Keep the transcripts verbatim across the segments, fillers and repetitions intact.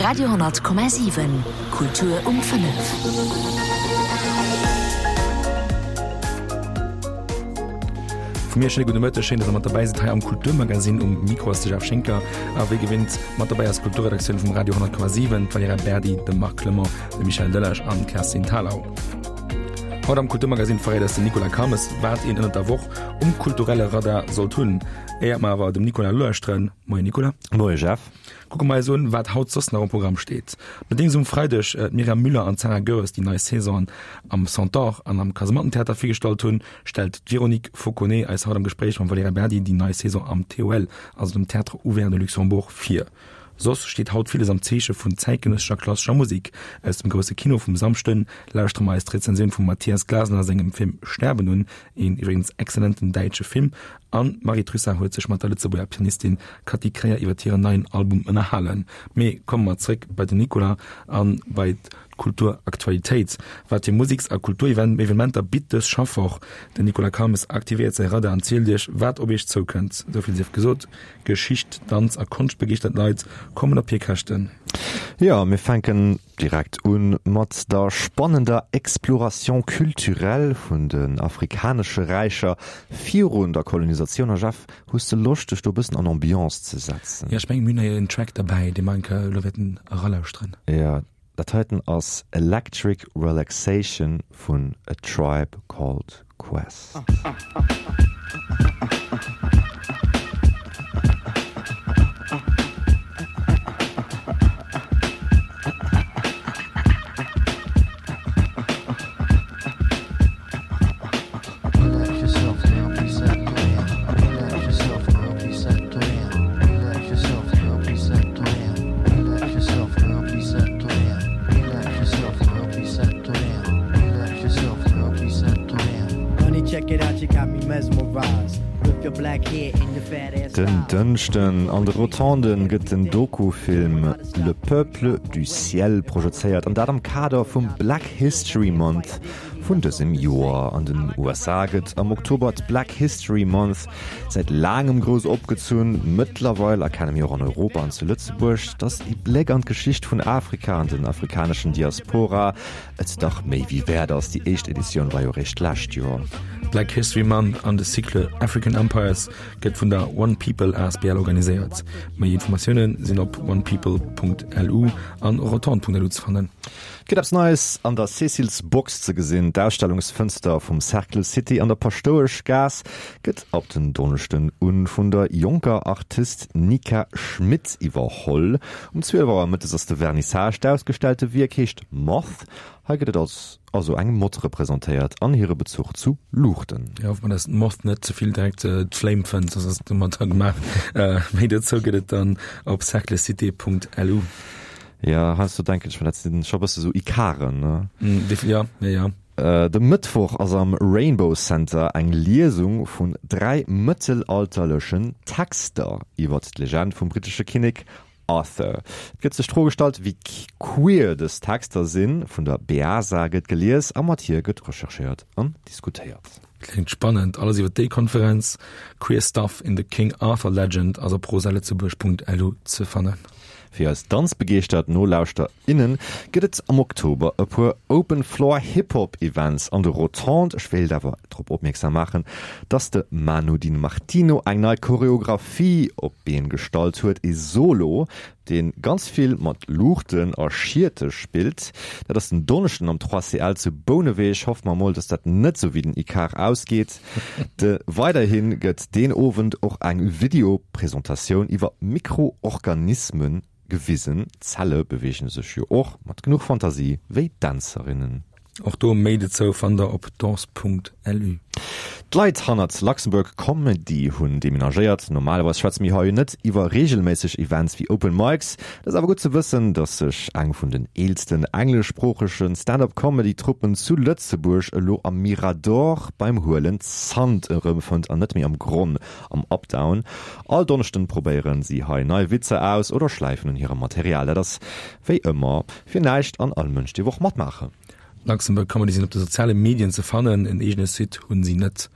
Radio honnert Komma siwen, Kultur um fënnef. Vu mir e schéine gudde Mëtteg, schéin, dass der mat derbäi sidd hei am Kulturmagazin. Um Mikro ass de Jeff Schinker a wéi gewinnt mat derbäi ass d'Kulturredaktioun vum Radio honnert Komma siwen, d'Valerija Berdi, de Marc Clement, de Michel Delage an d'Kerstin Thalau. Haut am Kulturmagazin verréit eis den Nicolas Calmes, wat een ënnert der Woch um kulturelle Radar sollt hunn. Éiert mer awer dem Nicolas lauschteren, Moien Nicolas. Moie Jeff. Kucke mer eis un, wat haut soss nach um Programm steet. Nodeems um Freideg d'Myriam Müller an d'Sarah Goeres déi nei Saison am Centaure an am Kasemattentheater virgestallt hunn, stellt d'Véronique Fauconnet eis haut am Gespréich mam Valerija Berdi déi nei Saison am T O L, also dem Théâtre Ouvert de Luxembourg, vir. Soss steet haut villes am Zeeche vun zäitgenëssescher klassescher Musek. Aus dem grousse Kino vum Samschden lauschtere mer eis d'Rezensioun vum Matthias Glasner sengem Film Sterben un, een iwwregens exzellenten däitsche Film. An d'Marie Trussart huet sech mat der Lëtzebuerger Pianistin Cathy Kreyer iwwer hiren neien Album ënnerhalen. Mee komme mer zréck bei den Nicolas a bei d'Kulturaktualitéit. Wat fir Museks a Kulturevenementer bitt dës Schaffwoch? Den Nicolas Calmes aktivéiert säi Radar an zielt iech, wat op iech zoukënnt. Esou vill sief gesot, Geschicht, Danz a konschtbegeeschtert Leit kommen op hir Käschten. Jo, mir fänken direkt un mat der spannender Exploration culturelle vun den afrikanesche Räicher virun der Kolonisatioun. A Jeff, hues de Loscht dech do e bëssen an Ambiance ze setzen? Jo, ech mengen mir hunn hei en Track derbäi, dee mer eng Kéier elo wäerten eralauschteren. Jo, dat heiten ass Electric Relaxation vun A Tribe Called Quest. Den Dënschden an de Rotonden gëtt den Dokufilm Le peuple du ciel projezéiert, an dat am Kader vum Black History Month vun dësem Joer. An den U S A gëtt am Oktober d'Black History Month säit laangem grouss opgezunn. Mëttlerweil erkenne mir och an Europa an zu Lëtzebuerg, datt ee Bléck an d'Geschicht vun Afrika an den afrikaneschen Diaspora et dach méi wéi wäert ass. Déi éischt Editioun war jo eréischt d'lescht Joer. Black History Month an de Cycle African Empires gëtt vun der One People asbl organiséiert. Méi Informatioune sinn op onepeople Punkt lu an rotonde Punkt lu ze fannen. Et gëtt eppes Neies an der Cécile's Box ze gesinn. D'Ausstellungsfënster vum Cercle City an der Paschtoueschgaass gëtt ab den Donneschden un vun der jonker Artist Nika Schmit iwwerholl. Um zwielef Auer mëttes ass de Vernissage. D'ausgestellte Wierk heescht Moth. Hei gëtt et als also eng Mott representéiert an hire Bezuch zu Luuchten. Jo, hoffe mer, dass d'Moth net ze vill direkt d'Flame fënnt, soss ass et domadder gemaach. Méi dozou gëtt et dann op cerclecité Punkt lu. Jo, heiansdo denken ech mer, dat sinn scho bësse sou Ikaren, ne? Jo, jo, jo. De Mëttwoch ass am Rainbow Center eng Liesung vun dräi mëttelalterlechen Texter iwwert d'Legend vum brittesche Kinnek Arthur. Et gëtt sech d'Fro gestallt, wéi queer dës Texter sinn. Vun der Beasa gëtt gelies a mat hir gëtt recherchéiert an diskutéiert. Kléngt spannend. Alles iwwer déi Konferenz Queer Stuff in the King Arthur Legend ass op rosalëtzebuerg Punkt lu ze fannen. Fir eis danzbegeeschtert Nolauschter, innen gëtt et am Oktober e puer Open Floor Hip Hop Events an de Rotondes. Ech wéilt awer drop opmierksam maachen, dass de Manu Di Martino eng nei Choreographie op d'Been gestallt huet, ee Solo, dee ganz vill mat Luuchten a Schiete spillt. Dat ass den Donneschden am trois C L zu Bouneweg. Hoffe mer mol, dass dat net sou wéi den Ikar ausgeet. De weiderhi gëtt deen Owend och eng Video-Presentatioun iwwer Mikroorganismen gewisen. Zelle beweegen sech jo och mat genuch Fantasie wéi Dänzerinnen. Och do méi dozou fannt der op danse Punkt lu. D'Leit hannert Luxembourg Comedy hunn demenagéiert. Normalerweis schwätze mir hei jo net iwwer reegelméisseg Events wéi Open Mics. Et ass awer gutt ze wëssen, dass sech eng vun den eelsten engleschsproochege Stand-up-Comedy-Truppen zu Lëtzebuerg elo am Mirador beim Huelen Zant erëmfënnt an net méi am Gronn am Updown. All Donneschden probéieren si hei nei Witzer aus oder schläifen un hirem Material. Dat ass wéi ëmmer fir näischt an all Mënsch dierf och matmaachen. Luxembourg Comedy sinn op de soziale Medien ze fannen, en eegene Site hunn si net.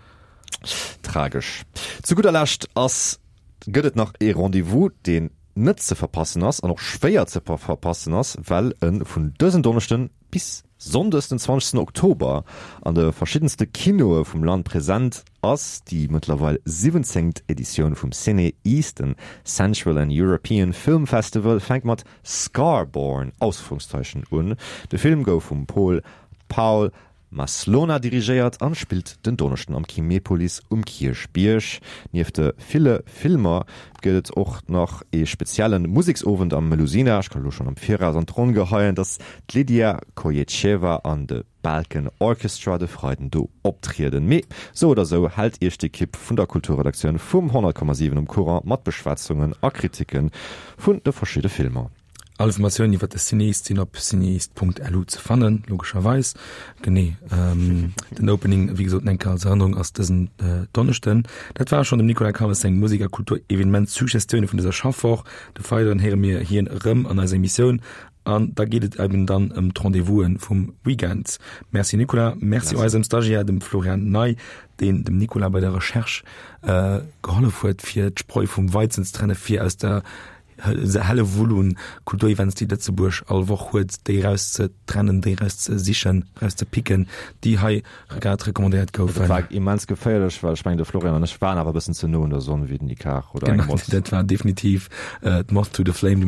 Tragesch. Zu gudder Lescht ass gëtt et nach ee Rendez-vous, deen net ze verpassen ass an och schwéier ze verpassen ass, well e vun dësen Donneschden bis Sonndes den zwanzegsten Oktober an de verschiddenste Kinoe vum Land present ass, déi mëttlerweil siwwenzéngt Editioun vum CinEast, den Central and European Film Festival, fänkt mat Scarborn, Ausrufungszeichen, un. De Film gouf vum Pol Paul Maslona dirigéiert an spillt den Donneschden am Kinepolis um Kierchbierg. Nieft de ville Filmer gëtt et och nach ee spezielle Museksowend am Melusina. Ech kann elo schonn am Viraus an d'Ronn geheien, dass d'Lydia Koyecheva an de Balkan Orchestra de Freiden do optrieden. Mee sou oder sou hält iech d'Ekipp vun der Kulturredaktioun vum honnert Komma siwen um Courant mat Beschwätzungen a Kriticken vun de verschidde Filmer. All Informatiounen iwwer de CinEast sinn op cineast.lu ze fannen, logescherweis. Genee, den Opening, wéi gesot, eng Kéier als Erënnerung, ass dësen Donneschden. Dat ware schonn dem Nicolas Calmes seng Musek a Kultur-Evenement-Suggestioune vun dëser Schaffwoch. De Freiden héiere mir hien erëm an eiser Emissioun an da geet et eben dann ëm d'Rendez-vous'en vum Weekend. Merci Nicolas, merci eisem Stagiaire, dem Florian Ney, deen dem Nicolas bei der Recherche gehollef huet, fir d'Spreu vum Weizen ze trenne fir aus der Hellewull un Kulturevents, déi Lëtzebuerg all Woch huet, déi erauszetrennen, déi erauszesichen, erauszepicken, déi hei grad recommandéiert goufen. Dat war immens geféierlech, well ech mengen, de Florian an ech waren awer e bëssen ze no un der Sonn wéi den Ikar oder eng Genau, Moss. dat war definitiv d'Moth to the Flame.